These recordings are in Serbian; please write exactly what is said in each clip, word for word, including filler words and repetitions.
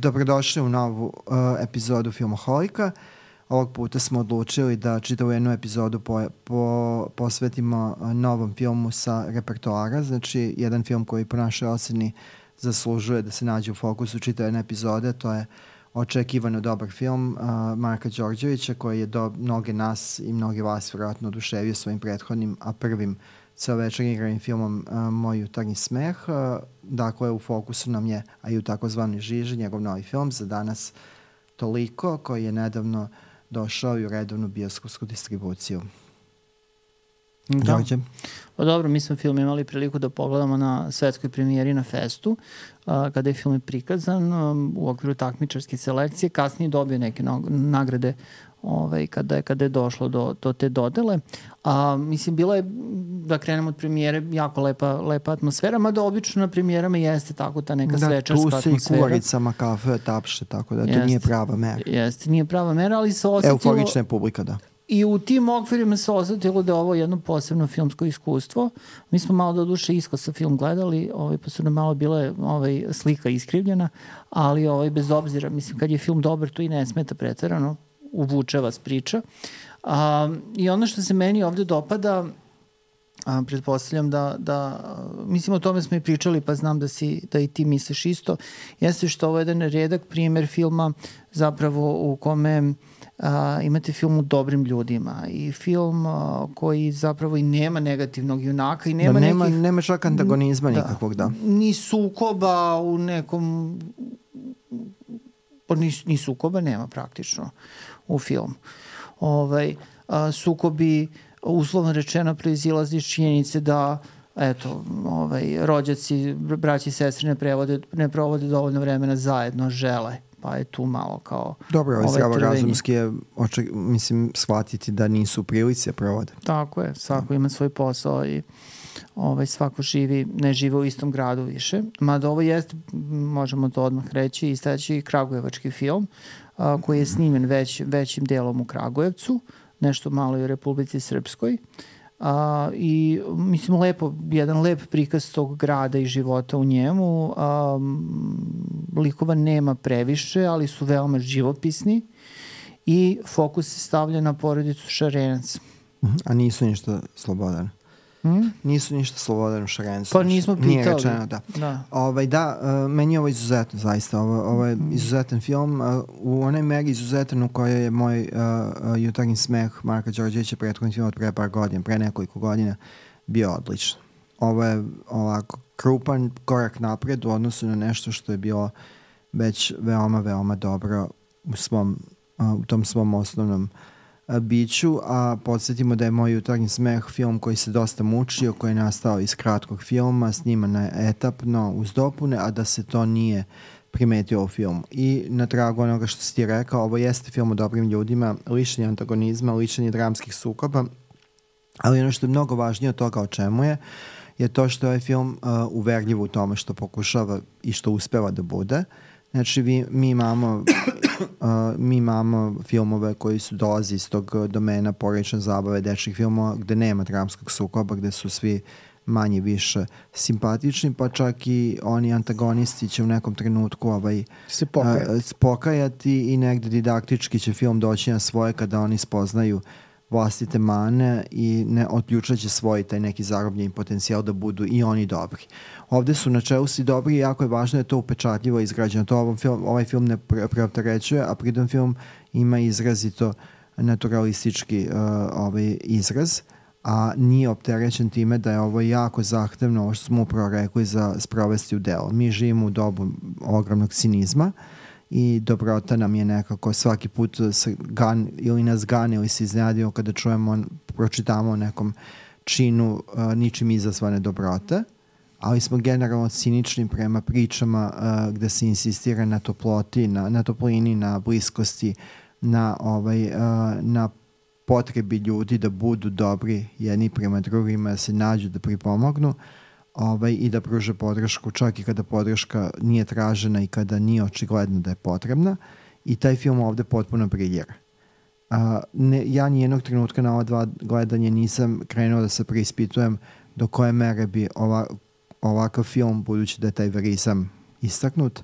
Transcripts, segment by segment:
Dobrodošli u novu uh, epizodu Filmoholika. Ovog puta smo odlučili da čitavu jednu epizodu po, po, posvetimo uh, novom filmu sa repertoara. Znači, jedan film koji po našoj oceni zaslužuje da se nađe u fokusu čitave jedne epizode. To je očekivano dobar film uh, Marka Đorđevića, koji je do mnoge nas i mnoge vas vjerojatno oduševio svojim prethodnim, a prvim celovečernjim igranim filmom uh, Moj jutarnji smeh. Uh, dakle, u fokusu nam je, a i u takozvani žiži, njegov novi film za danas Toliko, koji je nedavno došao i u redovnu bioskopsku distribuciju. Da. Pa dobro, mi smo film imali priliku da pogledamo na svetskoj premijeri na Festu, a, kada je film prikazan um, u okviru takmičarske selekcije. Kasnije dobio neke no, nagrade ovaj, kada, je, kada je došlo do, do te dodele. A, mislim, bila je, da krenemo od premijere, jako lepa, lepa atmosfera, mada obično na premijerama jeste tako ta neka da, svečarska atmosfera. Da, tu se i kuvaricama kafe tapše, tako da jeste, to nije prava mera. Jeste, nije prava mera, ali se osetilo... Euforična je publika, da. I u tim okvirima se osetilo da je ovo jedno posebno filmsko iskustvo. Mi smo malo do duše iskosa film gledali, ovaj, pa su nam malo bile ovaj, slika iskrivljena, ali ovaj, bez obzira, mislim, kad je film dobar, to i ne smeta preterano, uvuče vas priča. A, I ono što se meni ovde dopada, a, pretpostavljam da, da, mislim, o tome smo i pričali, pa znam da, si, da i ti misliš isto, jeste što ovo je jedan redak primer filma zapravo u kome Uh, imate film u dobrim ljudima i film uh, koji zapravo i nema negativnog junaka i nema, da, nema nekih... Nema čak antagonizma da, nikakvog, da. Ni sukoba u nekom... Pa ni, ni sukoba nema praktično u filmu. Ovaj, uh, sukobi, uslovno rečeno, proizilazi iz činjenice da eto, ovaj, rođaci, braći i sestri ne, prevode, ne provode dovoljno vremena zajedno, žele. Pa je tu malo kao... Dobro, ovaj zdravorazumski je, oček, mislim, shvatiti da nisu u prilici da provode. Tako je, svako ima svoj posao i ovaj, svako živi, ne žive u istom gradu više. Mada ovo jeste, možemo to odmah reći, istaći kragujevački film a, koji je snimljen već, većim delom u Kragujevcu, nešto malo i u Republici Srpskoj. A, i mislim lepo, jedan lep prikaz tog grada i života u njemu. A, likova nema previše, ali su veoma živopisni i fokus se stavlja na porodicu Šarenac. A nisu ništa slobodan. Hmm? Nisu ništa slobodan u Šarencu. Pa nismo pitali. Nije rečeno, da. Da, ovaj, da uh, meni je ovo izuzetno, zaista. Ovo, ovo je izuzetan film. Uh, u onoj meri izuzetan u kojoj je moj uh, uh, jutarnji smeh Marka Đorđevića prethodni film od pre par godina, pre nekoliko godina, bio odličan. Ovo je ovako krupan korak napred u odnosu na nešto što je bilo već veoma, veoma dobro u, svom, uh, u tom svom osnovnom biću, a podsjetimo da je Moj jutarnji smeh film koji se dosta mučio, koji je nastao iz kratkog filma, sniman je etapno uz dopune, a da se to nije primetio u filmu. I na tragu onoga što si ti rekao, ovo jeste film o dobrim ljudima, lišenje antagonizma, lišenje dramskih sukoba, ali ono što je mnogo važnije od toga o čemu je, je to što je ovaj film uh, uverljiv u tome što pokušava i što uspeva da bude. Znači, vi, mi imamo uh, mi imamo filmove koji su dolazi iz tog domena porodične zabave, dečjih filmova, gde nema dramskog sukoba, gde su svi manje više simpatični, pa čak i oni antagonisti će u nekom trenutku ovaj, se pokajati. Uh, pokajati i negde didaktički će film doći na svoje kada oni spoznaju vlastite mane i ne otključaće svoj taj neki zarobljeni potencijal da budu i oni dobri. Ovde su na čelu svi dobri i jako je važno da je to upečatljivo izgrađeno. To ovaj film, ovaj film ne preopterećuje, a pritom film ima izrazito naturalistički uh, ovaj izraz, a nije opterećen time da je ovo jako zahtevno, ovo što smo upravo rekli, za sprovesti u delo. Mi živimo u dobu ogromnog cinizma i dobrota nam je nekako svaki put se gan, ili nas gane ili se iznenadimo kada čujemo, pročitamo o nekom činu uh, ničim izazvane dobrote, ali smo generalno cinični prema pričama uh, gde se insistira na toploti, na, na toplini, na bliskosti, na, ovaj, uh, na potrebi ljudi da budu dobri jedni prema drugima, da se nađu, da pripomognu. Ovaj, i da pruže podršku čak i kada podrška nije tražena i kada nije očigledno da je potrebna, i taj film ovde potpuno briljira. A, ne, ja nijednog trenutka na ova dva gledanje nisam krenuo da se preispitujem do koje mere bi ova, ovakav film, budući da je taj verizam istaknut,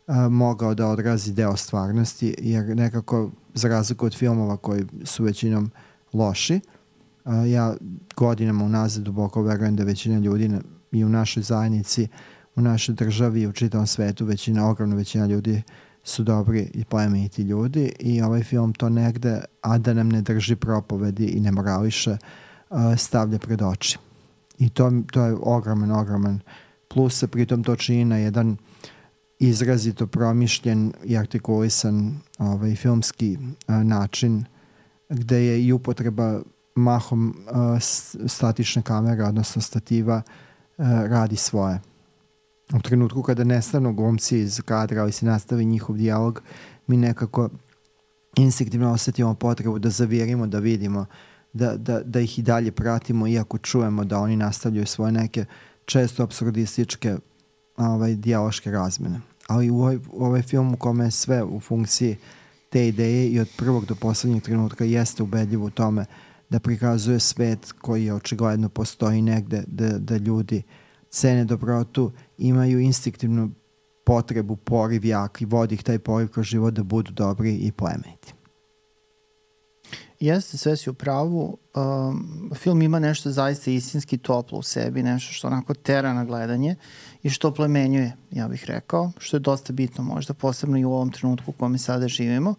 uh, mogao da odrazi deo stvarnosti, jer nekako za razliku od filmova koji su većinom loši, uh, ja godinama unazad duboko verujem da većina ljudi na, i u našoj zajednici, u našoj državi i u čitavom svetu većina, ogromna većina ljudi su dobri i plemeniti ljudi i ovaj film to negde, a da nam ne drži propovedi i ne morališe, uh, stavlja pred oči. I to, to je ogroman, ogroman plus, a pritom to čini na jedan izrazito promišljen i artikulisan ovaj, filmski uh, način, gde je i upotreba mahom uh, statične kamere, odnosno stativa, uh, radi svoje. U trenutku kada nestanu glumci iz kadra, ali se nastavi njihov dijalog, mi nekako instinktivno osetimo potrebu da zavirimo, da vidimo, da, da, da ih i dalje pratimo, iako čujemo da oni nastavljaju svoje neke često apsurdističke ovaj, dijaloške razmene. Ali u ovaj, u ovaj film u kome je sve u funkciji te ideje i od prvog do poslednjeg trenutka jeste ubedljivo u tome da prikazuje svet koji očigledno postoji negde, da, da ljudi cene dobrotu, imaju instinktivnu potrebu, poriv jak i vodi ih taj poriv kroz život da budu dobri i plemeniti. Jeste, sve si u pravu. Um, film ima nešto zaista istinski toplo u sebi, nešto što onako tera na gledanje i što plemenjuje, ja bih rekao, što je dosta bitno možda, posebno i u ovom trenutku u kome sada živimo.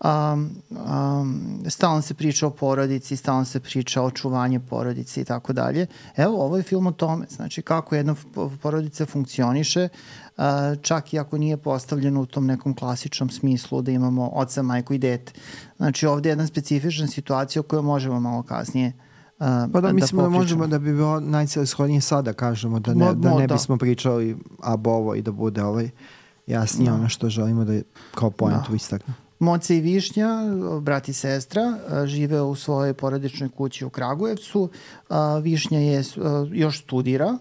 Um, um, stalno se priča o porodici, stalno se priča o očuvanju porodice i tako dalje. Evo, ovo je film o tome, znači kako jedna porodica funkcioniše, uh, čak i ako nije postavljeno u tom nekom klasičnom smislu da imamo oca, majku i dete. Znači ovde je jedna specifična situacija o kojoj možemo malo kasnije uh, pa da, da mislim popričamo. Da možemo da bi bilo najcelishodnije sada kažemo, da ne, Mo, da ne da. bismo pričali ab ovo i da bude ovaj jasnije no. ono što želimo da kao pointu no. istakne. Moce i Višnja, brat i sestra, žive u svojoj porodičnoj kući u Kragujevcu. Višnja je, još studira.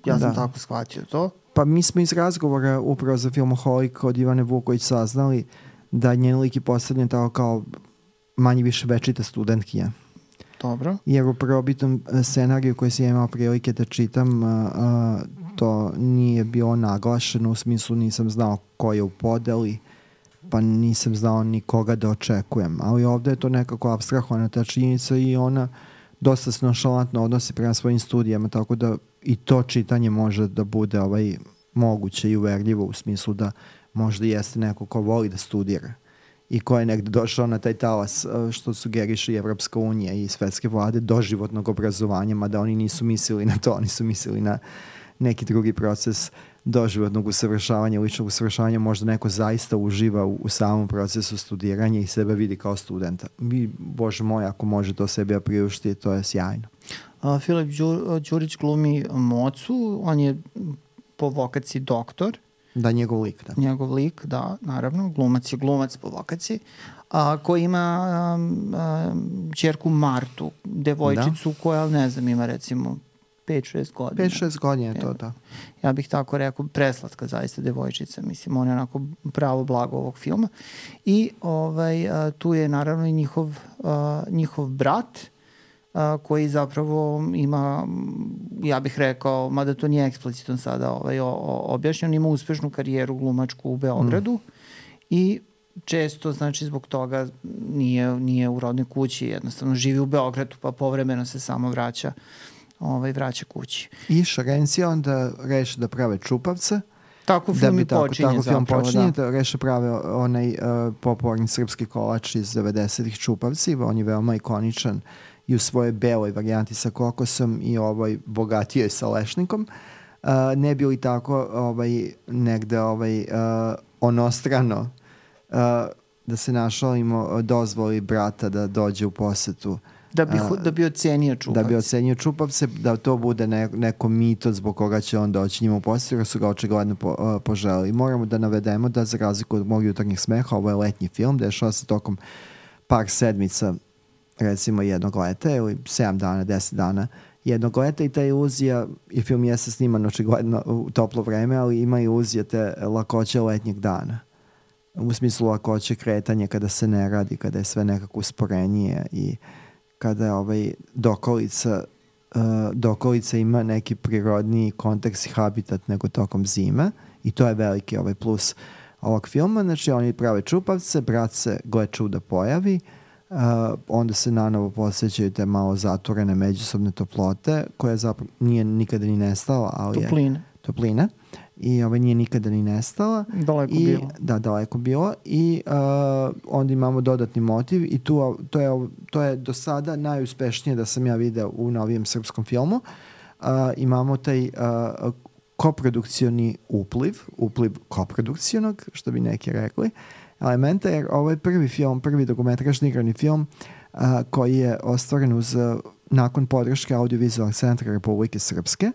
Ja sam da. tako shvatio to. Pa mi smo iz razgovora upravo za Filmoholik od Ivane Vuković saznali da njen lik je postavljen tako kao manje više večita studentkinja. Dobro. Jer u prvobitom scenariju koji sam imao prilike da čitam, to nije bilo naglašeno, u smislu nisam znao ko je u podeli, pa nisam znao ni koga da očekujem. Ali ovde je to nekako apstrahovana ta činjenica i ona dosta se nonšalantno odnosi prema svojim studijama, tako da i to čitanje može da bude ovaj moguće i uverljivo u smislu da možda jeste neko ko voli da studira i ko je negde došao na taj talas što sugeriše i Evropska unija i svetske vlade doživotnog obrazovanja, mada oni nisu mislili na to, oni su mislili na neki drugi proces doživotnog usavršavanja, ličnog usavršavanja, možda neko zaista uživa u, u samom procesu studiranja i sebe vidi kao studenta. Vi, Bože moj, ako može to sebi priušti, to je sjajno. A, Filip Đur, Đurić glumi Mocu, on je po vokaciji doktor. Da, njegov lik, da. Njegov lik, da, naravno, glumac je glumac po vokaciji, a, koji ima um, um, ćerku Martu, devojčicu da. koja, ne znam, ima recimo pet šest godina. pet šest godina je to, da. Ja bih tako rekao, preslatka zaista devojčica, mislim, on je onako pravo blago ovog filma. I ovaj, a, tu je naravno i njihov, a, njihov brat, a, koji zapravo ima, ja bih rekao, mada to nije eksplicitno sada ovaj, o, o, objašnjeno, ima uspešnu karijeru glumačku u Beogradu mm. i često, znači, zbog toga nije, nije u rodnoj kući, jednostavno živi u Beogradu, pa povremeno se samo vraća ovaj, vraća kući. I Šarencija onda reše da prave čupavce. Tako film da i tako, počinje tako zapravo, film počinje, da. da reše prave onaj uh, popularni srpski kolač iz devedesetih čupavci. On je veoma ikoničan i u svojoj beloj varijanti sa kokosom i ovoj bogatijoj sa lešnikom. Uh, ne bi li tako ovaj, negde ovaj, uh, onostrano uh, da se našalimo dozvoli brata da dođe u posetu Da bi, da bi ocenio čupavce. Da bi ocenio čupavce, da to bude ne, neko mito zbog koga će on doći njima u posjetu, jer su ga očigledno po, uh, poželili. Moramo da navedemo da za razliku od mog jutarnjih smeha, ovo je letnji film, dešava se tokom par sedmica, recimo jednog leta, ili sedam dana, deset dana jednog leta i ta iluzija, i film jeste sniman očigledno u toplo vreme, ali ima iluzija te lakoće letnjeg dana. U smislu lakoće kretanja kada se ne radi, kada je sve nekako usporenije i kada je ovaj dokolica uh, dokolica ima neki prirodni kontekst i habitat nego tokom zime i to je veliki ovaj plus ovog filma. Znači oni prave čupavce, brat se gle čuda pojavi, uh, onda se nanovo posjećaju te malo zatvorene međusobne toplote koja zapravo nije nikada ni nestala, ali topline. je topline i ovaj nije nikada ni nestala. Daleko I, bilo. Da, daleko bilo i uh, onda imamo dodatni motiv i tu, to, je, to je do sada najuspešnije da sam ja video u novijem srpskom filmu. Uh, imamo taj uh, koprodukcioni upliv, upliv koprodukcionog, što bi neki rekli, elementa, jer ovo je prvi film, prvi dokumentražni igrani film uh, koji je ostvaren uz, uh, nakon podrške Audiovizualnog centra Republike Srpske.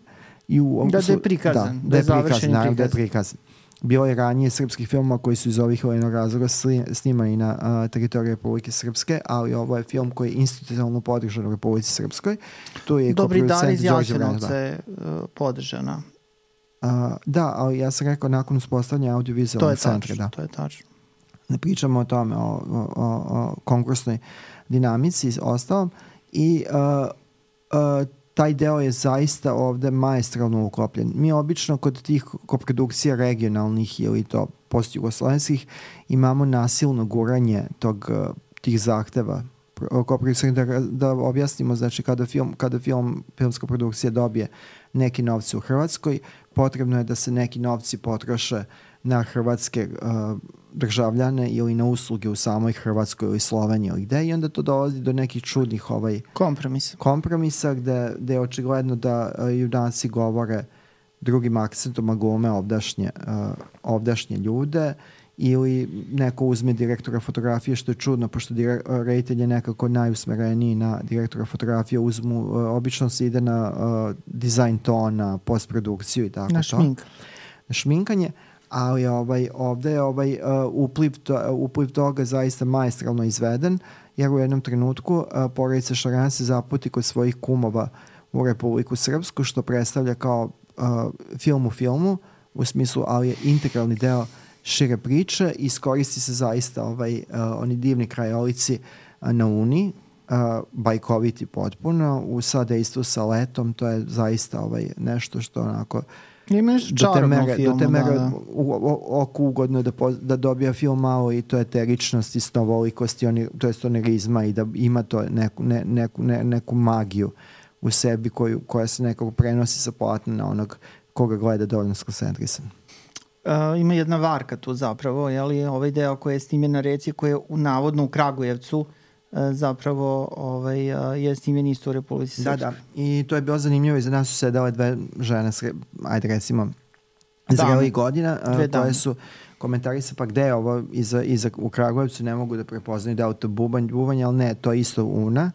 I u, da, da je prikazan. Da, da je prikazan, naravno da je prikazan. Bilo je ranije srpskih filmova koji su iz ovih vojnog razloga snimani na uh, teritoriji Republike Srpske, ali ovo je film koji je institucionalno podržan u Republici Srpskoj. Tu je Dobri dar iz Jasenovca je uh, podržana. Uh, da, ali ja sam rekao nakon uspostavljanja audiovizualnog centra. Da. To je tačno. Ne pričamo o tome, o, o, o, o konkursnoj dinamici i ostalom. I uh, uh, taj deo je zaista ovde maestralno uklopljen. Mi obično kod tih koprodukcija regionalnih ili to postjugoslovenskih imamo nasilno guranje tog, tih zahteva. Da, da objasnimo, znači kada, film, kada film, filmska produkcija dobije neki novci u Hrvatskoj, potrebno je da se neki novci potroše na hrvatske uh, državljane ili na usluge u samoj Hrvatskoj ili Sloveniji ili gde, i onda to dolazi do nekih čudnih ovaj, kompromisa, kompromisa gde, gde je očigledno da uh, junaci govore drugim akcentom, a glume ovdašnje, uh, ovdašnje ljude, ili neko uzme direktora fotografije, što je čudno, pošto reditelj je nekako najusmereniji na direktora fotografije, uzmu, uh, obično se ide na uh, dizajn tona, postprodukciju i tako na to. Šmink. Na šminkanje, ali ovaj, ovde je ovaj, uh, upliv, to, upliv toga zaista maestralno izveden, jer u jednom trenutku uh, porodica Šaran se zaputi kod svojih kumova u Republiku Srpsku, što predstavlja kao uh, film u filmu, u smislu, ali je integralni deo šire priče, i iskoristi se zaista ovaj, uh, oni divni krajolici uh, na Uni, uh, bajkoviti potpuno, u sadejstvu sa letom, to je zaista ovaj, nešto što onako ima nešto čarobno u filmu. Do te mere da, da. oku ugodno da, po, da dobija film malo i to je teričnost i snovolikost, oni, to je tonerizma i da ima to neku, ne, neku, ne, neku magiju u sebi koju, koja se nekako prenosi sa platna na onog koga gleda dovoljno skoncentrisan. Uh, ima jedna varka tu zapravo, jeli, ovaj deo koji je snimljen na reci, koji je u, navodno u Kragujevcu, uh, zapravo ovaj, uh, je snimljen isto u Republici Srpskoj. Da, da. I to je bilo zanimljivo, iza nas su sedale dve žene, ajde recimo, zrelih godina, uh, koje su komentarise, pa gde je ovo iza, iza, u Kragujevcu, ne mogu da prepoznaju da je to bubanj, bubanj, ali ne, to je isto Una,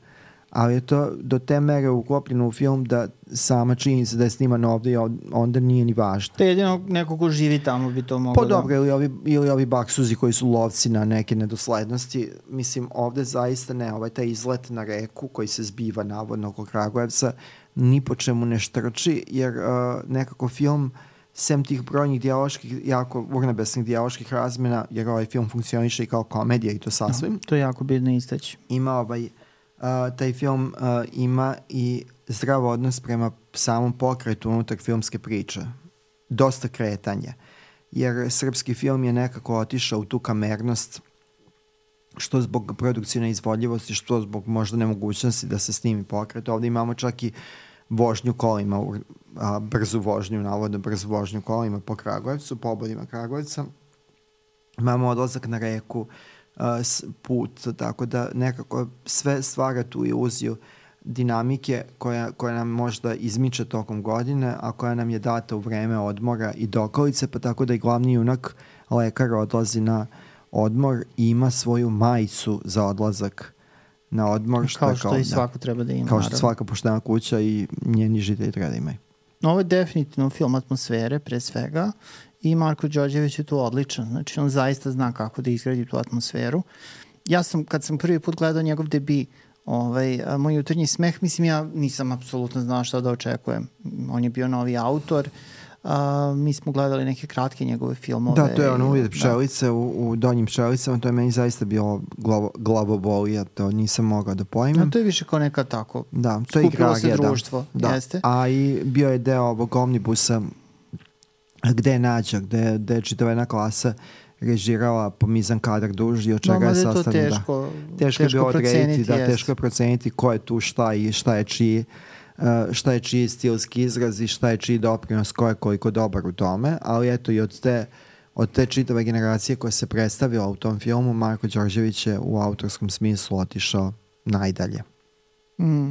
ali je to do te mere uklopljeno u film da sama činjenica da je sniman ovde i onda nije ni važno. To je jedino neko ko živi tamo bi to moglo. Pa dobro, da... ili, ovi, ili ovi baksuzi koji su lovci na neke nedoslednosti. Mislim, ovde zaista ne, ovaj taj izlet na reku koji se zbiva navodno oko Kragujevca ni po čemu ne štrči, jer uh, nekako film, sem tih brojnih dijaloških, jako urnebesnih dijaloških razmena, jer ovaj film funkcioniše i kao komedija i to sasvim. No, to je jako bitno istaći. Ima ovaj Uh, taj film uh, ima i zdrav odnos prema samom pokretu unutar filmske priče. Dosta kretanja. Jer srpski film je nekako otišao u tu kamernost, što zbog produkcijne izvodljivosti, što zbog možda nemogućnosti da se snimi pokret. Ovde imamo čak i vožnju kolima, uh, brzu vožnju, navodno brzu vožnju kolima po Kragujevcu, po obodima Kragujevca. Imamo odlazak na reku, put, tako da nekako sve stvara tu iluziju dinamike koja, koja nam možda izmiče tokom godine, a koja nam je data u vreme odmora i dokolice, pa tako da i glavni junak lekar odlazi na odmor i ima svoju majicu za odlazak na odmor. Što kao što kao, i svako da, treba da ima. Kao što naravno. Svaka poštena kuća i njeni žitelji treba da imaju. Ovo je definitivno film atmosfere pre svega. I Marko Đorđević je tu odličan. Znači, on zaista zna kako da izgradi tu atmosferu. Ja sam, kad sam prvi put gledao njegov debi, ovaj, Moj jutarnji smeh, mislim, ja nisam apsolutno znao šta da očekujem. On je bio novi autor. A, mi smo gledali neke kratke njegove filmove. Da, to je ono Uvijek pčelice da. u, u Donjim pčelicama, to je meni zaista bilo glavo, glavobolija, to nisam mogao da pojmem. A to je više kao neka tako, da, to je skupilo se igragija, društvo, da. jeste. A i bio je deo ovog omnibusa gde je Nađa, gde, gde je čitava jedna klasa režirala po mizan kadar duži, od čega no, je sastavljeno. Da, teško, teško, teško je bilo odrediti, da, teško je proceniti ko je tu šta i šta je čiji, uh, šta je čiji stilski izraz i šta je čiji doprinos, ko je koliko dobar u tome, ali eto i od te, od te čitave generacije koja se predstavila u tom filmu, Marko Đorđević je u autorskom smislu otišao najdalje. Mm.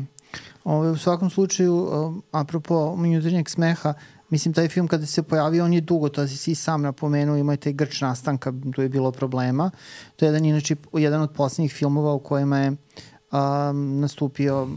Ove, u svakom slučaju, um, apropo Jutarnjeg smeha, mislim, taj film kada se pojavio, on je dugo, to si sam napomenuo, ima je taj grč nastanka, tu je bilo problema. To je jedan, inače, jedan od posljednjih filmova u kojima je um, nastupio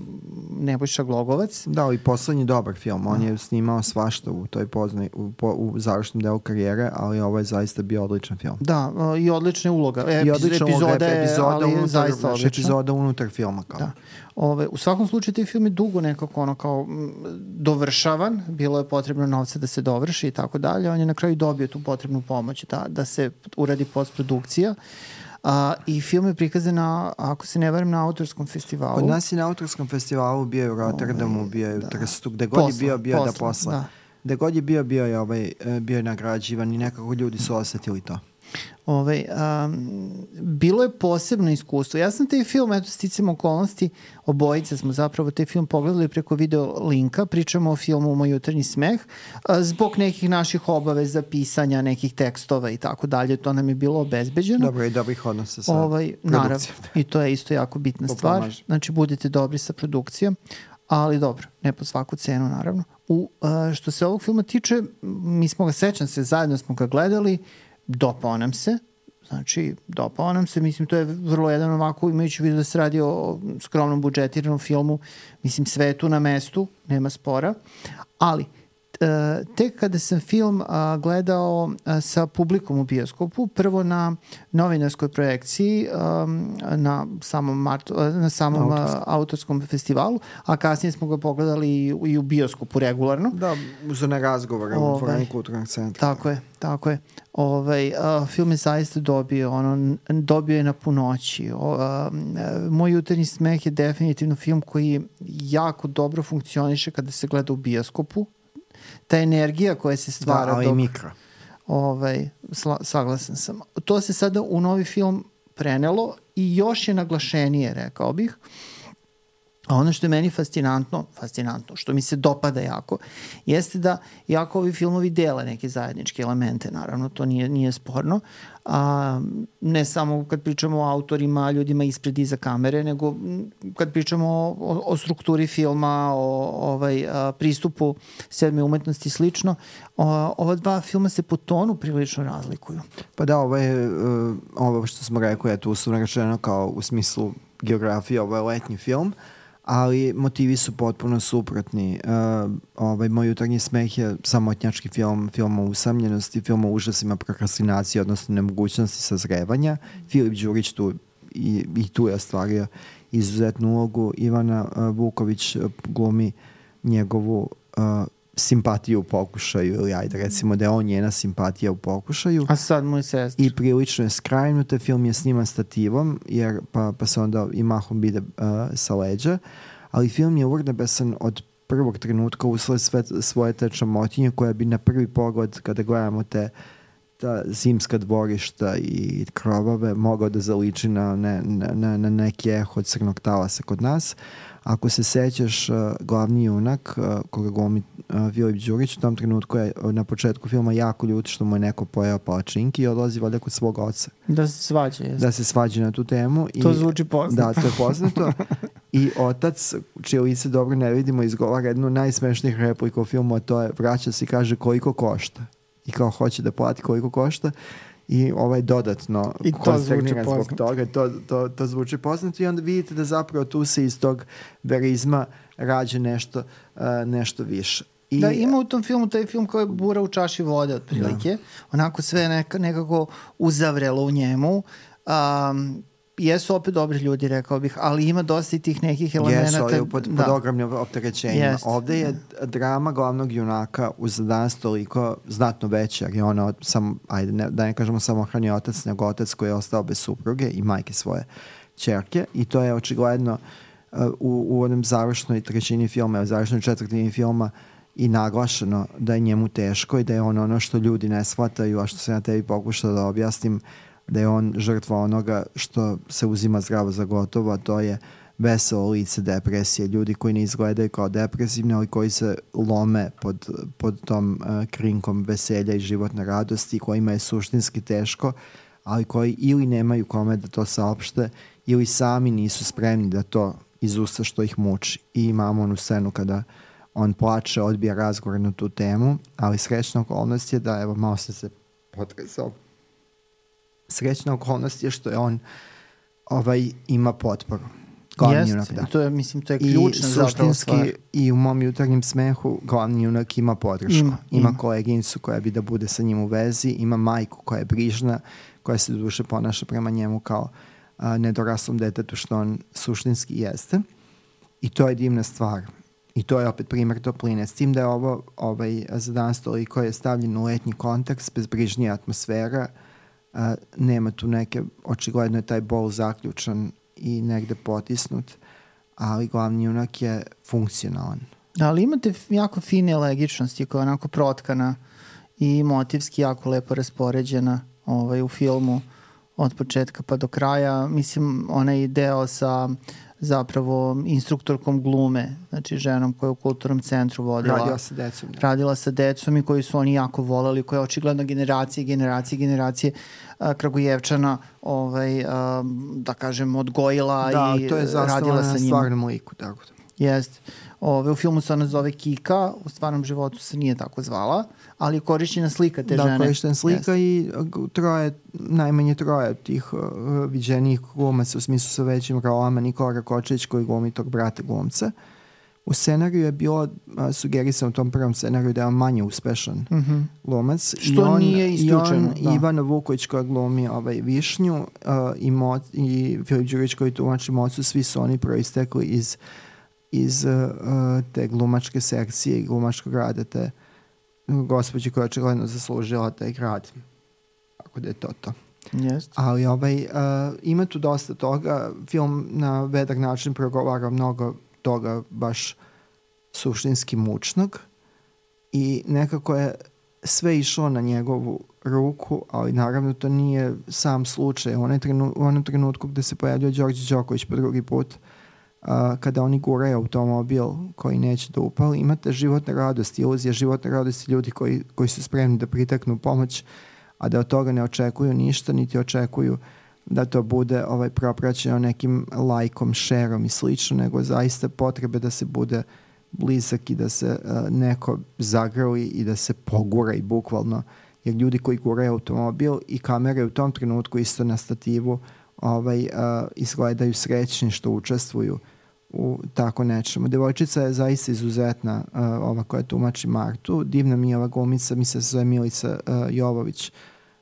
Nebojša Glogovac. Da, i poslednji dobar film. On da. je snimao svašta u toj poznoj, u, u završnom delu karijere, ali ovo je zaista bio odličan film. Da, i odlična uloga. I odlična epizoda uloga, epizoda ali unutar, zaista odlična. Epizoda unutar filma. Kao. Da. Ove, u svakom slučaju taj film je dugo nekako ono kao m, dovršavan, bilo je potrebno novca da se dovrši i tako dalje, on je na kraju dobio tu potrebnu pomoć da, da se uradi postprodukcija. A, i film je prikazan na, ako se ne varam, na autorskom festivalu. Kod nas je na autorskom festivalu, bio je u Rotterdamu, bio je u Trstu, gde god je bio, bio posla, da posla. Da. Gde god je bio, bio je, ovaj, bio je nagrađivan i nekako ljudi su osetili to. Ove, um, bilo je posebno iskustvo. Ja sam taj film, eto, sticam okolnosti, obojice smo zapravo taj film pogledali preko video linka, pričamo o filmu Moj jutarnji smeh, a, zbog nekih naših obaveza, pisanja nekih tekstova i tako dalje, to nam je bilo obezbeđeno. Dobro, i dobrih odnosa sa ovaj, produkcijom. Naravno, i to je isto jako bitna to stvar. Pomaže. Znači, budete dobri sa produkcijom, ali dobro, ne po svaku cenu, naravno. U, a, što se ovog filma tiče, mi smo ga, sećam se, zajedno smo ga gledali, dopao nam se, znači dopao nam se, mislim to je vrlo jedan ovako, imajući vidio da se radi o skromnom budžetiranom filmu, mislim sve je tu na mestu, nema spora, ali e, tek kada sam film a, gledao a, sa publikom u bioskopu, prvo na novinarskoj projekciji a, na samom, Marto, a, na samom a, autorskom festivalu, a kasnije smo ga pogledali i, i u bioskopu regularno. Da, uz one razgovore u dvorani kulturnog centra. Tako je, tako je. Ovaj, a, film je zaista dobio, ono, dobio je na punoći. O, a, Moj jutarnji smeh je definitivno film koji jako dobro funkcioniše kada se gleda u bioskopu. Ta energija koja se stvara... Da, ali i mikro. Ovaj, sla, saglasan sam. To se sada u novi film prenelo i još je naglašenije, rekao bih. A ono što je meni fascinantno, fascinantno, što mi se dopada jako, jeste da jako ovi filmovi dele neke zajedničke elemente, naravno, to nije, nije sporno, a, ne samo kad pričamo o autorima, ljudima ispred iza kamere, nego kad pričamo o, o, o strukturi filma, o ovaj, a, pristupu sedme umetnosti i slično, o, ova dva filma se po tonu prilično razlikuju. Pa da, ovo je, uh, ovo što smo rekli, je tu uslovno rečeno kao u smislu geografije, ovo je letnji film, ali motivi su potpuno suprotni. Uh, ovaj, Moj jutarnji smeh je samotnjački film, film o usamljenosti, film o užasima prokrastinacije, odnosno nemogućnosti sazrevanja. Filip Đurić tu i, i tu je ostvario izuzetnu ulogu. Ivana uh, Vuković glumi njegovu uh, simpatiju u pokušaju, ili ajde recimo da je on njena simpatija u pokušaju. A sad mu je sestra. I prilično je skrajnuta, film je sniman stativom, jer pa, pa se onda i mahom bide uh, sa leđa, ali film je urnebesan od prvog trenutka usled sve svoje te čamotinje koja bi na prvi pogled kada gledamo te ta zimska dvorišta i krovove mogao da zaliči na, ne, na, na neki eho od Crnog talasa kod nas. Ako se sećaš, uh, glavni junak uh, koga glumi uh, Filip Đurić u tom trenutku je uh, na početku filma jako ljut što mu je neko pojeo palačinki i odlazi valjda kod svog oca. Da se svađa. Jest. Da se svađa na tu temu. To i, zvuči poznato. Da, to je poznato. I otac, čije lice dobro ne vidimo, izgovara jednu najsmešnijih replika u filmu, a to je vraća se i kaže koliko košta. I kao hoće da plati koliko košta. I ovaj dodatno konsterniran zbog toga, to, to, to zvuči poznato i onda vidite da zapravo tu se iz tog verizma rađe nešto, uh, nešto više. I, da, ima u tom filmu taj film koji je bura u čaši vode otprilike, da. Onako sve neka, nekako uzavrelo u njemu. Um, jesu opet dobri ljudi, rekao bih, ali ima dosta i tih nekih elemenata. Jesu, ali pod, pod ogromnim opterećenjima. Jest. Ovde je drama glavnog junaka uz danas toliko znatno veća, jer je ona sam, ajde, ne, da ne kažemo samohrani otac, nego otac koji je ostao bez supruge i majke svoje ćerke, i to je očigledno uh, u, u onom završnoj trećini filma, u završnoj četvrtini filma i naglašeno da je njemu teško i da je on ono što ljudi ne shvataju, a što se na tebi pokušao da objasnim, da je on žrtva onoga što se uzima zdravo za gotovo, a to je veselo lice depresije. Ljudi koji ne izgledaju kao depresivni, ali koji se lome pod, pod tom uh, krinkom veselja i životne radosti, kojima je suštinski teško, ali koji ili nemaju kome da to saopšte, ili sami nisu spremni da to izusta što ih muči. I imamo onu scenu kada on plače, odbija razgovor na tu temu, ali srećna okolnost je da, evo, malo sam se potresao, srećna okolnost je što je on ovaj, ima potporu. Glavni junak, da. To je, mislim, to je ključna zapravo stvar. I u mom jutarnjem smehu glavni junak ima podršku. Ima, ima. ima koleginicu koja bi da bude sa njim u vezi, ima majku koja je brižna, koja se do duše ponaša prema njemu kao a, nedoraslom detetu, što on suštinski jeste. I to je divna stvar. I to je opet primjer topline. S tim da je ovo ovaj, za danas toliko je stavljen u letnji kontekst, bezbrižnija atmosfera, a, nema tu neke, očigledno je taj bol zaključan i negde potisnut, ali glavni junak je funkcionalan. Ali imate jako fine elegičnosti koja je onako protkana i motivski jako lepo raspoređena ovaj, u filmu od početka pa do kraja. Mislim, onaj deo sa zapravo instruktorkom glume, znači ženom koja je u kulturnom centru vodila. Radila sa decom. Da. Radila sa decom i koji su oni jako volali, koja je očigledno generacije, generacije, generacije a, Kragujevčana ovaj, a, da kažem, odgojila da, i to je radila sa njima. na stvarnom liku, tako da. Jeste. Ove, u filmu se ona zove Kika, u stvarnom životu se nije tako zvala, ali je korišćena slika te da, žene. Da, korišćena slika. Jeste. I troje, najmanje troje tih uh, viđenih glumaca u smislu sa većim rolama, Nikola Rakočević koji glumi tog brata glumca. U scenariju je bilo uh, sugerisano u tom prvom scenariju da je on manje uspešan mm-hmm. glumac. Što I on, nije isključeno. I on, Ivana Vuković koja glumi ovaj, Višnju uh, i, Mo, i Filip Đurić koji tumači Mocu, svi su oni proistekli iz iz uh, te glumačke sekcije i glumačkog rada te gospođe koja je očigledno zaslužila taj grad. Tako da je to to. Yes. Ali ovaj, uh, ima tu dosta toga. Film na vedar način progovara mnogo toga baš suštinski mučnog i nekako je sve išlo na njegovu ruku, ali naravno to nije sam slučaj. U, trenu, u onom trenutku gde se pojavljuje Đorđe Đoković po drugi put, Uh, kada oni guraju automobil koji neće da upali, imate životne radosti, iluzija životne radosti ljudi koji, koji su spremni da priteknu pomoć, a da od toga ne očekuju ništa, niti očekuju da to bude ovaj, propraćeno nekim lajkom, šerom i slično, nego zaista potrebe da se bude blizak i da se uh, neko zagrli i da se pogura i bukvalno, jer ljudi koji guraju automobil i kamere u tom trenutku isto na stativu ovaj, uh, izgledaju srećni što učestvuju u tako nečemu. Devojčica je zaista izuzetna, uh, ova koja tumači Martu. Divna mi je ova glumica, mi se zove Milica uh, Jovović,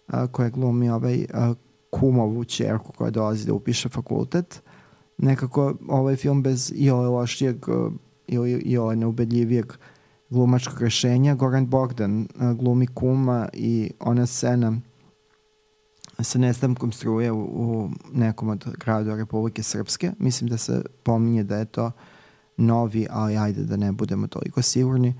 uh, koja glumi ovaj uh, kumovu ćerku koja dolazi da upiše fakultet. Nekako ovaj film bez iole lošijeg uh, ili iole neubedljivijeg glumačkog rešenja. Goran Bogdan uh, glumi kuma i ona scena sa nestankom struje u, u nekom od gradova Republike Srpske. Mislim da se pominje da je to novi, ali ajde da ne budemo toliko sigurni.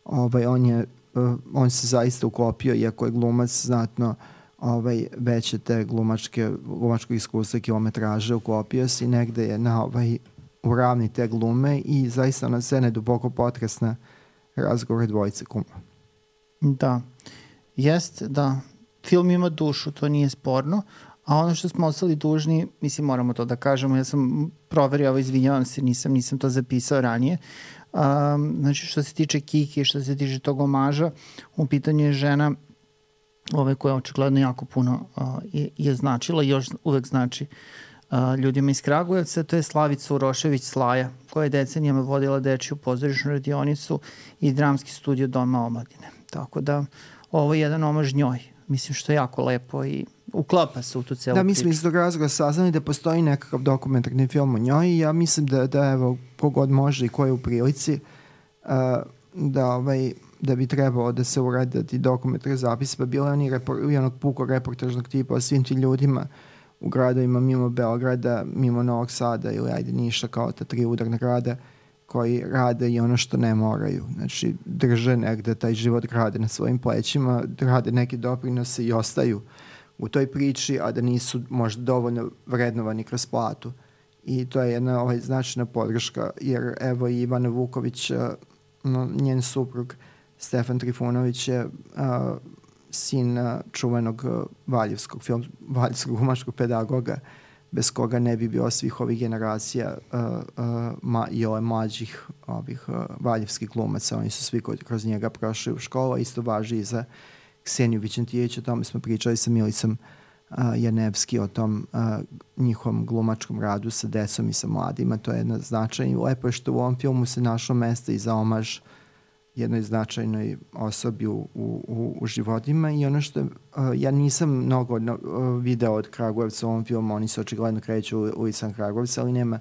Ovaj, on, je, uh, on se zaista uklopio, iako je glumac znatno ovaj, veće te glumačke, glumačkog iskustva kilometraže, uklopio se i negde je na ovaj, u ravni te glume i zaista na scene duboko potresna razgovor dvojice kuma. Da, jest, da. Film ima dušu, to nije sporno, a ono što smo ostali dužni, mislim moramo to da kažemo, ja sam proverio ovo, izvinjavam se, nisam, nisam to zapisao ranije. Um, znači što se tiče Kiki, što se tiče tog omaža, u pitanju je žena ove koja očigledno jako puno uh, je, je značila i još uvek znači uh, ljudima iz Kragujevca, to je Slavica Urošević Slaja, koja je decenijama vodila dečiju pozorišnu radionicu i dramski studio Doma omladine. Tako da ovo je jedan omaž njoj. mislim što je jako lepo i uklapa se u tu celu Da, priču. mi smo iz tog razloga saznali da postoji nekakav dokumentarni film o njoj i ja mislim da, da evo, kogod može i ko je u prilici, uh, da, ovaj, da bi trebalo da se urade ti dokumentarni zapis, pa bilo je oni repor, i onog puko reportažnog tipa o svim ti ljudima u gradovima mimo Beograda, mimo Novog Sada ili ajde Niša, kao ta tri udarna grada, koji rade i ono što ne moraju. Znači, drže negde taj život grade na svojim plećima, rade neke doprinose i ostaju u toj priči, a da nisu možda dovoljno vrednovani kroz platu. I to je jedna ovaj, značajna podrška, jer evo i Ivana Vuković, no, njen suprug Stefan Trifunović je a, sin a, čuvenog a, valjevskog, film, valjevskog umaškog pedagoga, bez koga ne bi bilo svih ovih generacija uh, uh, ma, i ove mlađih ovih uh, valjevskih glumaca. Oni su svi kroz njega prošli u školu, isto važi i za Kseniju Vićentijević. O tome smo pričali sa Milicom uh, Janevski, o tom uh, njihovom glumačkom radu sa decom i sa mladima. To je jedna značajna i lepo je što u ovom filmu se našlo mesta i za omaž jednoj značajnoj osobi u, u, u životima i ono što uh, ja nisam mnogo no, uh, video od Kragujevca u ovom filmu, oni se očigledno kreću u ulicama Kragujevca, ali nema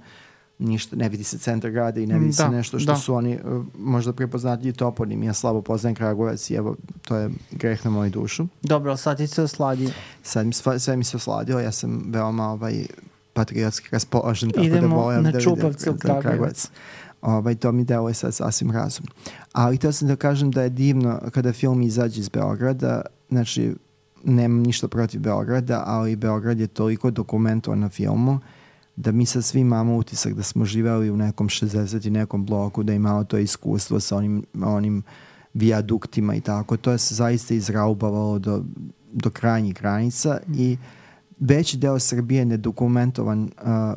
ništa, ne vidi se centar grada i ne vidi da, se nešto što da. su oni uh, možda prepoznatljivi toponim. Ja slabo poznajem Kragujevac i evo, to je greh na moju dušu. Dobro, sad ti se osladio. Sad mi, sve, sve mi se osladio, ja sam veoma ovaj, patriotski raspoložen, tako Idemo da volim na da vidim Čupavce u Kragujevac. Ovaj, to mi deluje sad sasvim razumno. Ali htio sam da kažem da je divno kada film izađe iz Beograda, znači nemam ništa protiv Beograda, ali Beograd je toliko dokumentovan na filmu da mi sad svi imamo utisak da smo živeli u nekom šezdeset i nekom bloku, da imamo to iskustvo sa onim, onim vijaduktima i tako. To je se zaista izraubavalo do, do krajnjih granica i veći deo Srbije nedokumentovan uh,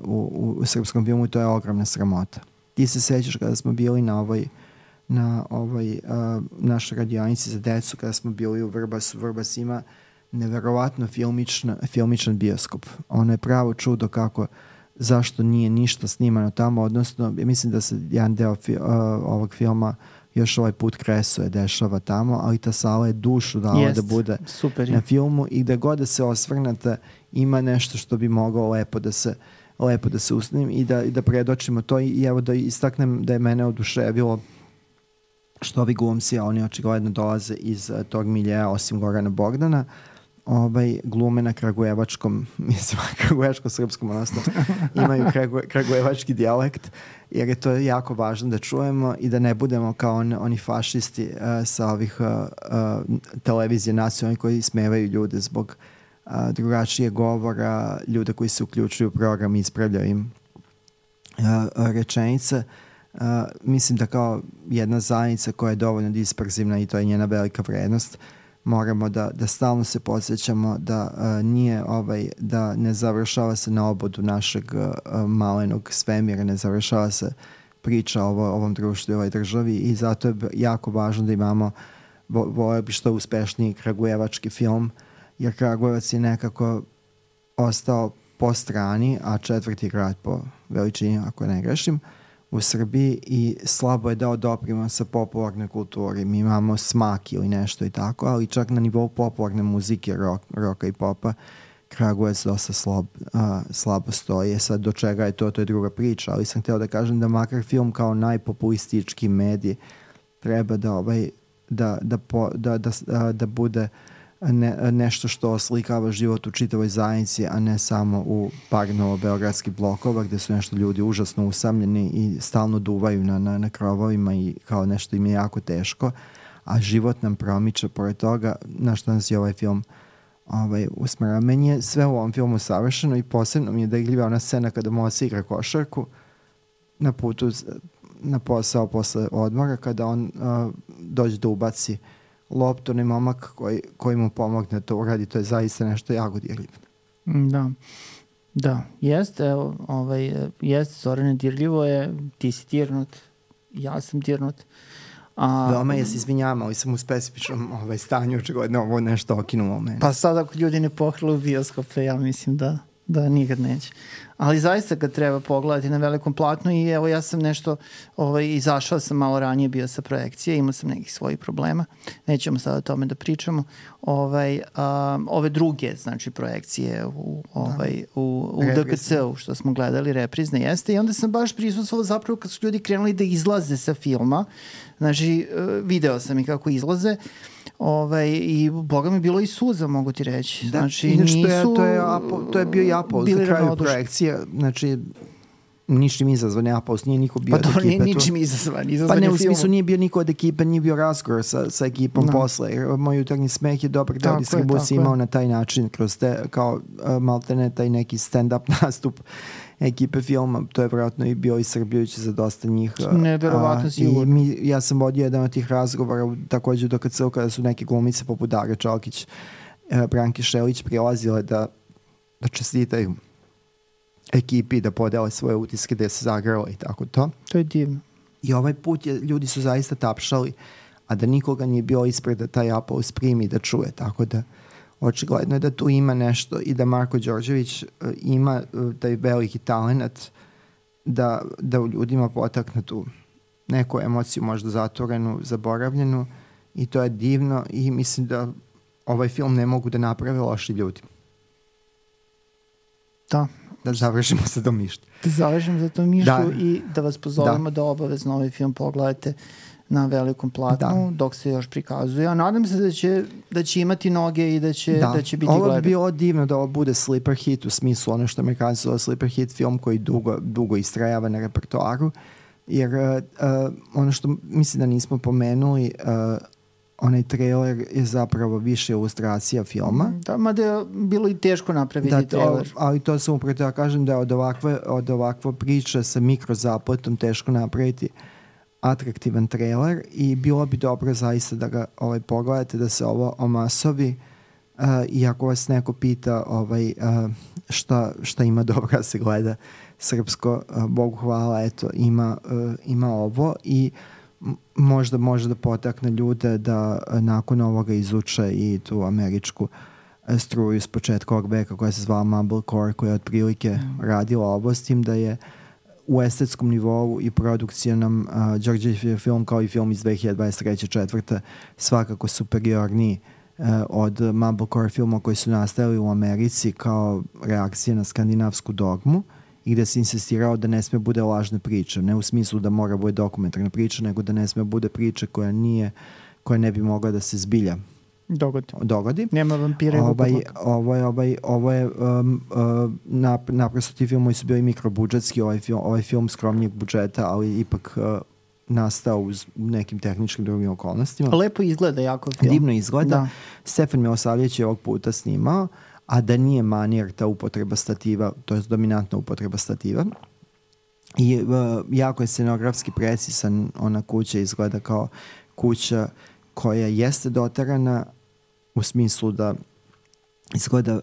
u, u, u srpskom filmu, to je ogromna sramota. Ti se sećaš kada smo bili na ovoj na ovoj uh, našoj radionici za decu, kada smo bili u Vrbasu. Vrbas ima neverovatno filmičan, filmičan bioskop. Ono je pravo čudo kako, zašto nije ništa snimano tamo, odnosno mislim da se jedan deo fi, uh, ovog filma još ovaj put Kresuje dešava tamo, ali ta sala je dušu dala Jest, da bude super na filmu i da god da se osvrnete ima nešto što bi moglo lepo da se lepo da se usnim i da, i da predočimo to i evo da istaknem da je mene oduševilo što ovi glumci, a oni očigledno dolaze iz uh, tog miljeja, osim Gorana Bogdana, ovaj, glume na kragujevačkom, mislim, kragujevačkom srpskom, odnosno imaju kragu, kragujevački dijalekt, jer je to jako važno da čujemo i da ne budemo kao on, oni fašisti uh, sa ovih uh, uh, televizije nacionalnih koji smevaju ljude zbog uh, drugačije govora, ljude koji se uključuju u program i ispravljaju im uh, rečenice. Uh, mislim da kao jedna zajednica koja je dovoljno disperzivna i to je njena velika vrednost, moramo da, da stalno se podsjećamo da uh, nije ovaj, da ne završava se na obodu našeg uh, malenog svemira, ne završava se priča o ovo, ovom društvu i ovoj državi i zato je jako važno da imamo vo, voleo bi što uspešniji kragujevački film, jer Kragujevac je nekako ostao po strani, a četvrti grad po veličini, ako ne grešim, u Srbiji i slabo je dao doprinosa popularnoj kulturi. Mi imamo Smak ili nešto i tako, ali čak na nivou popularne muzike, rock, rocka i popa, Kragujevac dosta slab, uh, slabo stoji. Sad do čega je to, to je druga priča, ali sam hteo da kažem da makar film kao najpopulistički medij treba da, ovaj, da, da, po, da, da, da, da bude Ne, nešto što oslikava život u čitavoj zajednici, a ne samo u par novobeogradskih blokova gde su nešto ljudi užasno usamljeni i stalno duvaju na, na, na krovovima i kao nešto im je jako teško, a život nam promiče pored toga, na što nas je ovaj film ovaj, usmera. Meni je sve u ovom filmu savršeno i posebno mi je dirljiva ona scena kada Mosa igra košarku na putu na posao posle odmora, kada on uh, dođe da ubaci loptu, ne momak koji, koji mu pomogne to uradi, to je zaista nešto jako dirljivo. Da, da, jeste, ovaj, jeste, Zorane, dirljivo je, ti si dirnut, ja sam dirnut. A, Veoma je se izvinjama, ali sam u specifičnom ovaj, stanju, očigledno ovo nešto okinulo mene. Pa sad ako ljudi ne pohrlu bioskope, ja mislim da Da, nikad neće. Ali zaista ga treba pogledati na velikom platnu i evo ja sam nešto, ovaj, izašao sam malo ranije, bio sa projekcije, imao sam nekih svojih problema, nećemo sada o tome da pričamo. Ovaj, um, ove druge, znači, projekcije u, ovaj, u, u D K C-u što smo gledali, reprizne jeste, i onda sam baš prisustvovao zapravo kad su ljudi krenuli da izlaze sa filma, znači video sam i kako izlaze. Ovaj, i boga mi bilo i suza, mogu ti reći. Da, znači, inače, nisu, to, je, to, je apo, to je bio i aplauz na kraju projekcije, znači ničim izazvan je aplauz, nije niko bio pa od ekipe. Pa to nije ničim izazvan, izazvan pa ne, je u smislu film. Nije bio niko od ekipe, nije bio razgovor sa, sa ekipom no. posle. Moj jutarnji smeh je dobar deo distribucije imao je. Na taj način, kroz te, kao uh, maltene taj neki stand-up nastup ekipe filma, to je vjerojatno i bio iscrpljujuće za dosta njih. Neverovatno sigurno. I mi, ja sam vodio jedan od tih razgovora također do kad se kada su neke glumice poput Dare Čalkić, uh, Branke Šelić prilazile da, da čestitaju ekipi, da podele svoje utiske, da se zagrala i tako to. To je divno. I ovaj put je, ljudi su zaista tapšali, a da nikoga nije bio ispred da taj aplauz primi da čuje, tako da očigledno je da tu ima nešto i da Marko Đorđević uh, ima uh, taj veliki talent da, da u ljudima potakne tu neku emociju, možda zatvorenu, zaboravljenu, i to je divno i mislim da ovaj film ne mogu da naprave loši ljudi. Da. Da završimo sa tom mišlju. Da završimo za tom mišlju da. I da vas pozovemo da, da obavezno ovaj film pogledate na velikom platnu da. Dok se još prikazuje. A nadam se da će, da će imati noge i da će, da. Da će biti gledan. Ovo bi bilo divno da ovo bude sleeper hit, u smislu ono što Amerikanci zove sleeper hit, film koji dugo, dugo istrajava na repertoaru. Jer uh, ono što mislim da nismo pomenuli, uh, onaj trailer je zapravo više ilustracija filma. Da, mada je bilo i teško napraviti da, trailer. To, ali to sam upravo ja kažem da je od ovakve, od ovakve priče sa mikrozapletom teško napraviti atraktivan trailer i bilo bi dobro zaista da ga ovaj, pogledate, da se ovo omasovi. Uh, i ako vas neko pita ovaj, uh, šta, šta ima dobro da se gleda srpsko, uh, Bogu hvala, eto, ima, uh, ima ovo i možda može da potakne ljude da nakon ovoga izuče i tu američku struju s početka ovog veka koja se zvala Mumblecore, koja je otprilike mm. radila ovo, s tim da je u estetskom nivou i produkcijnom uh, Đorđević film kao i film iz dve hiljade dvadeset treće četvrte svakako superiorniji uh, od Mumblecore filma koji su nastajali u Americi kao reakcija na skandinavsku dogmu i gde se insistirao da ne sme bude lažna priča, ne u smislu da mora bude dokumentarna priča, nego da ne sme bude priča koja nije, koja ne bi mogla da se zbilja dogodi. dogodi. Nema vampira. Ovaj, ovo je, ovaj, ovo je um, uh, nap, naprosto ti filmovi su bili mikrobudžetski, ovaj film, ovaj film skromnijeg budžeta, ali ipak uh, nastao uz nekim tehničkim drugim okolnostima. Lepo izgleda jako film. Divno izgleda. Da. Stefan Milosavljević je ovog puta snimao, a da nije manir ta upotreba stativa, to je dominantna upotreba stativa. I uh, jako je scenografski precisan, ona kuća izgleda kao kuća koja jeste dotarana u smislu da izgleda,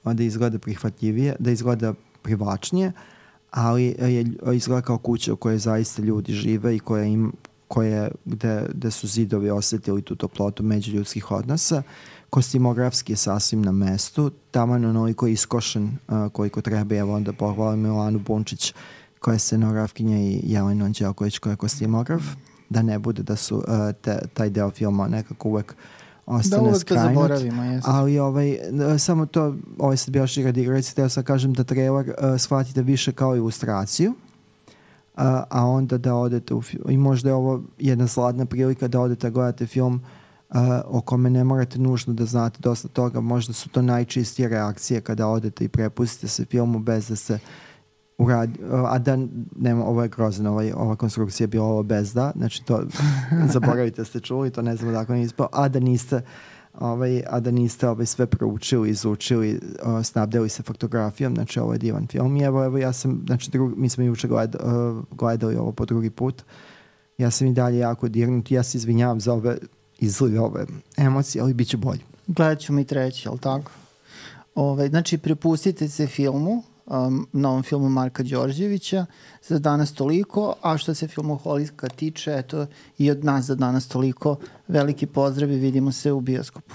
uh, da izgleda prihvatljivije, da izgleda privlačnije, ali je, izgleda kao kuća u kojoj zaista ljudi žive i koja im, koje, gde, gde su zidovi osjetili tu toplotu međuljudskih odnosa. Kostimografski je sasvim na mestu, taman onoliko iskošen uh, koliko treba. Evo onda pohvalim Milanu Bunčić koja je scenografkinja i Jelenu Anđelković koja je kostimograf, da ne bude da su uh, te, taj deo filma nekako uvek ostane da skrajnut. Da uvek to zaboravimo, ali ovaj, samo to, ovaj sad bio šira digracija, teo sam kažem da trailer uh, shvatite više kao ilustraciju, uh, a onda da odete u film, i možda je ovo jedna zlatna prilika da odete gledate film Uh, o kome ne morate nužno da znate dosta toga, možda su to najčistije reakcije kada odete i prepustite se filmu bez da se uradi, uh, a da nema, ovo je grozno, ovaj, ova konstrukcija je bila ovo bez da, znači to zaboravite ste čuli, to ne znam da ako ne ispao, a da niste ovaj, a da niste ovaj, sve proučili, izučili, uh, snabdeli se fotografijom, znači ovo je divan film i evo, evo ja sam, znači drug, mi smo juče gled, uh, gledali ovo po drugi put, ja sam i dalje jako dirnut, ja se izvinjavam za ove izgleda ove emocije, ali bit će bolje. Gledat ćemo i treći, jel tako? Ove, znači, prepustite se filmu, um, novom filmu Marka Đorđevića, za danas toliko, a što se filmoholika tiče, eto, i od nas za danas toliko. Veliki pozdrav i vidimo se u bioskopu.